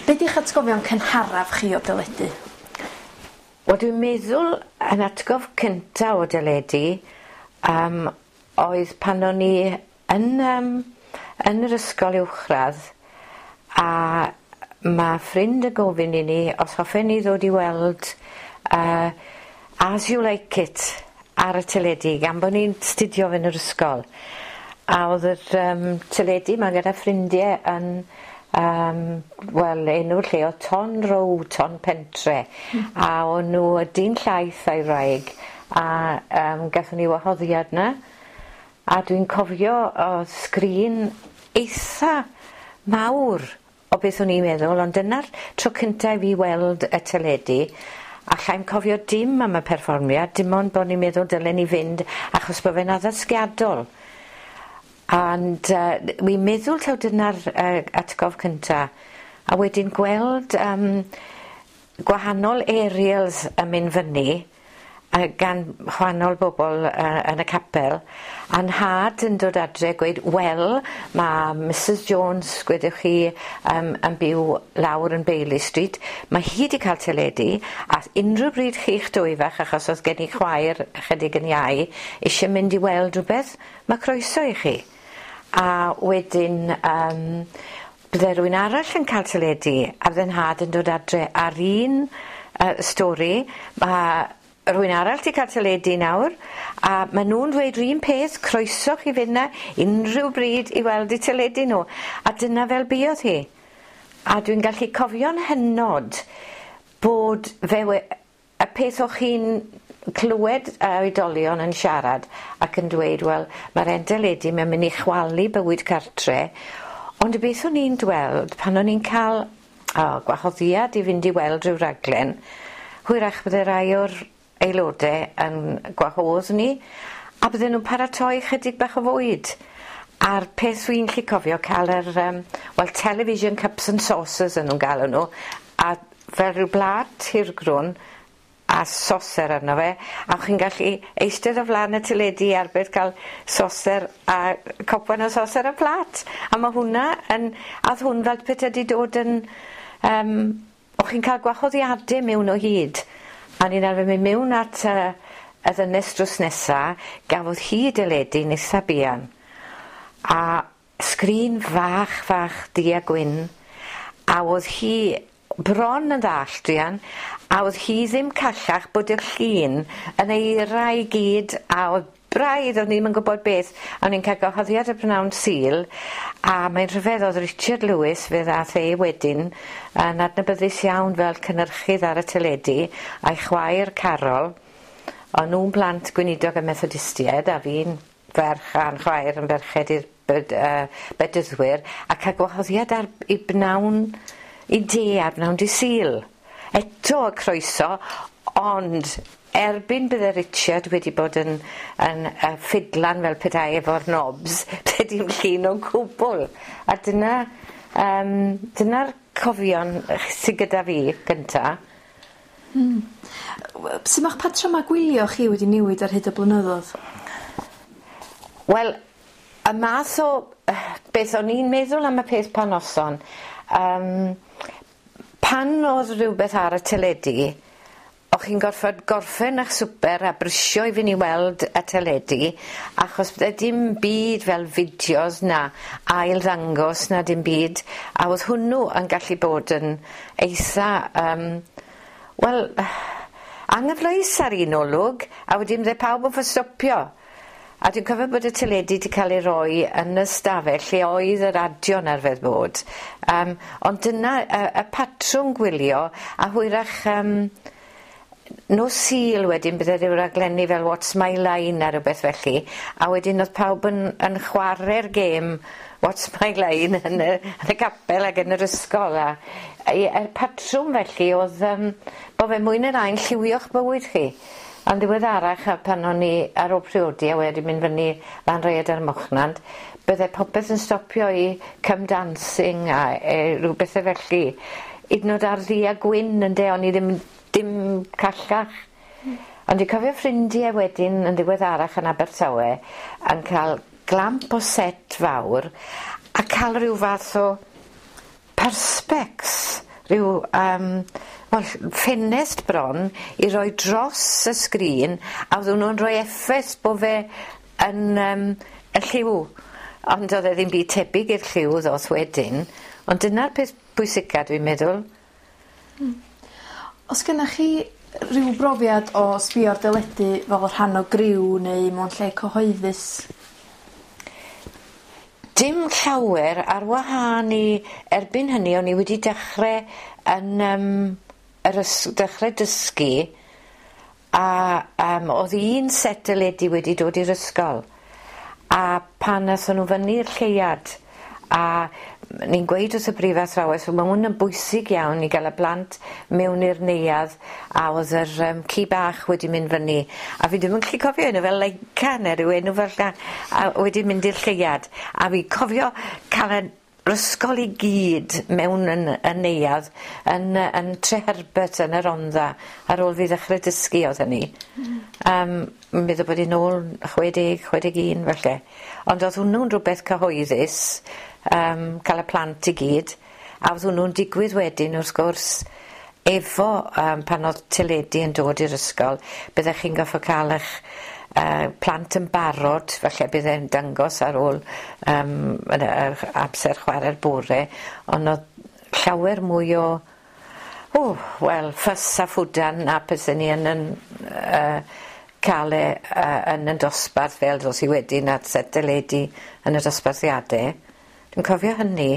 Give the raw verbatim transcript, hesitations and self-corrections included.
Be 'di'ch atgofion cynharaf chi o deledu? Wel, dwi'n meddwl yn atgof cynta o deledu um, oedd pan o'n i yn, um, yn yr ysgol uwchradd a ma' ffrind yn gofyn i ni os hoffen ni ddod i weld uh, As You Like It ar y teledu gan bo' ni'n studio fe yn yr ysgol. A o'dd yr yym teledu 'ma gyda ffrindie yn yym wel enw'r lle o'dd Ton Row Ton Pentre. A o'n nw y dyn llaeth a'i wraig a yym gathon ni wahoddiad 'na a dwi'n cofio o'dd sgrin eitha mawr o beth o'n i'n meddwl ond dyna'r tro cynta i fi weld y teledu allai'm cofio dim am y perfformiad dim ond bo' ni'n meddwl dylen ni fynd achos bo' fe'n addysgiadol. Ond yy wi'n meddwl taw dyna'r yy atgof cynta a wedyn gweld yym gwahanol aerials yn mynd fyny yy gan chwanol bobol yy yn y capel a'n nhad yn dod adre gweud wel ma' Misys Jones gwedwch chi yym yn byw lawr yn Bailey Street ma' hi 'di ca'l teledu a unryw bryd chi'ch dwy fach achos o'dd gen i chwaer ychydig yn iau isie mynd i weld rwbeth ma' croeso i chi. A wedyn yym bydde rywun arall yn ca'l teledu a fydde'n nhad yn dod adre a'r un yy stori ma' rywun arall 'di ca'l teledu nawr a ma' nw'n dweud 'r un peth croeso chi fyn 'na unryw bryd i weld 'u teledu nw a dyna fel buodd hi. A dwi'n gallu cofio'n hynod bod fe we- y peth o'ch chi'n clywed y oedolion yn siarad ac yn dweud wel ma'r 'en deledu ma'n myn' i chwalu bywyd cartre ond y beth o'n i'n dweld pan o'n i'n ca'l o gwahoddiad i fynd i weld ryw raglen hwyrach bydde rai o'r aelode yn gwahodd ni a bydden nw'n paratoi chydig bach o fwyd. A'r peth dwi'n 'llu cofio ca'l yr yym wel television cups and saucers o'n nw'n galw nw a fel ryw blât hirgrwn a soser arno fe a o'ch chi'n gallu eistedd o flan y teledu arbed ca'l soser a copan o soser a plât a ma' hwnna yn a o'dd hwn fel pete 'di dod yn yym o'ch chi'n ca'l gwahoddiade mewn o hyd a o'n i'n arfer myn' miwn at yy y ddynes drws nesa gafodd hi deledu yn itha buan a sgrin fach fach du a gwyn a o'dd hi bron yn ddall druan a o'dd hi ddim callach bod y llun yn eira i gyd a o'dd braidd o'n i'm yn gwbod beth a o'n i'n ca'l gwahoddiad y prynawn Sul a mae'n rhyfedd o'dd Richard Lewis fe ddath e wedyn yn adnabyddus iawn fel cynyrchydd ar y teledu a'i chwaer Carol o'n nw'n blant gweinidog y Methodistied a fi'n ferch a'n chwaer yn ferched i'r bed- yy bedyddwyr a ca'l gwahoddiad ar i bnawn i de ar bnawn dy Sul. Eto y croeso ond erbyn bydde Richard wedi bod yn yn yy ffidlan fel petai efo'r knobs dim llun o gwbwl a dyna yym dyna'r cofion sy gyda fi gynta. Hmm. Su' ma'ch patryma gwylio chi wedi newid ar hyd y blynyddodd? Wel y math o beth o'n i'n meddwl am y peth pan noson yym pan o'dd rywbeth ar y teledu o'ch chi'n gorffod gorffen 'ych swper a brysio i fyn' i weld y teledu achos bydde dim byd fel fideos na ail ddangos na dim byd a o'dd hwnnw yn gallu bod yn eitha yym wel anghyfleus ar un olwg a wedyn bydde pawb yn stopio. A dwi'n cofio bod y teledu 'di ca'l ei roi yn y stafell lle oedd y radio'n arfer bod yym ond dyna y y patrwm gwylio a hwyrach yym nos Sul wedyn bydde ryw raglenni fel What's My Line a rwbeth felly a wedyn o'dd pawb yn yn chware'r gêm What's My Line yn y yn y capel ag yn yr ysgol a yy y patrwm felly o'dd yym bo' fe mwy ne' lai'n lliwio'ch bywyd chi. Ond ddiweddarach a pan o'n i ar ôl priodi a wedi mynd fyny lan Rhaeadr ym Mochnant bydde popeth yn stopio i come dancing a e ryw bethe felly. 'Yd yn o'd ar ddu a gwyn ynde o'n i ddim dim callach. Ond dwi'n cofio ffrindie wedyn yn ddiweddarach yn Abertawe yn ca'l glamp o set fawr a ca'l ryw fath o perspex rhyw um, wel, ffenest bron i roi dros y sgrin a oedden nhw'n rhoi effaith bo' fe yn um, y lliw. Ond oedd e ddim byd tebyg i'r lliw ddoth wedyn. Ond dyna'r peth pwysica dwi'n meddwl. Hmm. Os gennych chi rhyw brofiad o sbio ar deledu fel rhan o griw neu mewn lle cyhoeddus? Dim llawer ar wahân i erbyn hynny o'n i wedi dechre yn yym yr ys- dechre dysgu a yym o'dd un set deledu wedi dod i'r ysgol a pan athon nw fyny'r lleuad a ni'n gweud wrth y brifathrawes wel ma' 'wn yn bwysig iawn i ga'l y blant mewn i'r neuadd a o'dd yr yym ci bach wedi mynd fyny a fi dim yn gallu cofio enw fe Leica ne' ryw enw fel 'a a wedi mynd i'r lleuad a fi cofio ca'l yr ysgol i gyd mewn yn y neuadd yn yy yn Treherbert yn y Rondda ar ôl fi ddechre dysgu o'dd hynny. Hmm. Yym meddwl bod 'i nôl chwe deg chwe deg un falle. Ond o'dd hwnnw'n rwbeth cyhoeddus yym ca'l y plant i gyd a o'dd hwnnw'n digwydd wedyn wrth gwrs efo yym pan o'dd teledu yn dod i'r ysgol byddech chi'n goffo ca'l 'ych yy plant yn barod falle bydd e'n dangos ar ôl yym yn yr amser chware'r bore on' o'dd llawer mwy o o wel ffys a ffwdan a pethe ni yn 'yn yy ca'l e yy yn 'yn dosbarth fel dos i wedyn at set deledu yn y dosbarthiade. Dwi'n cofio hynny.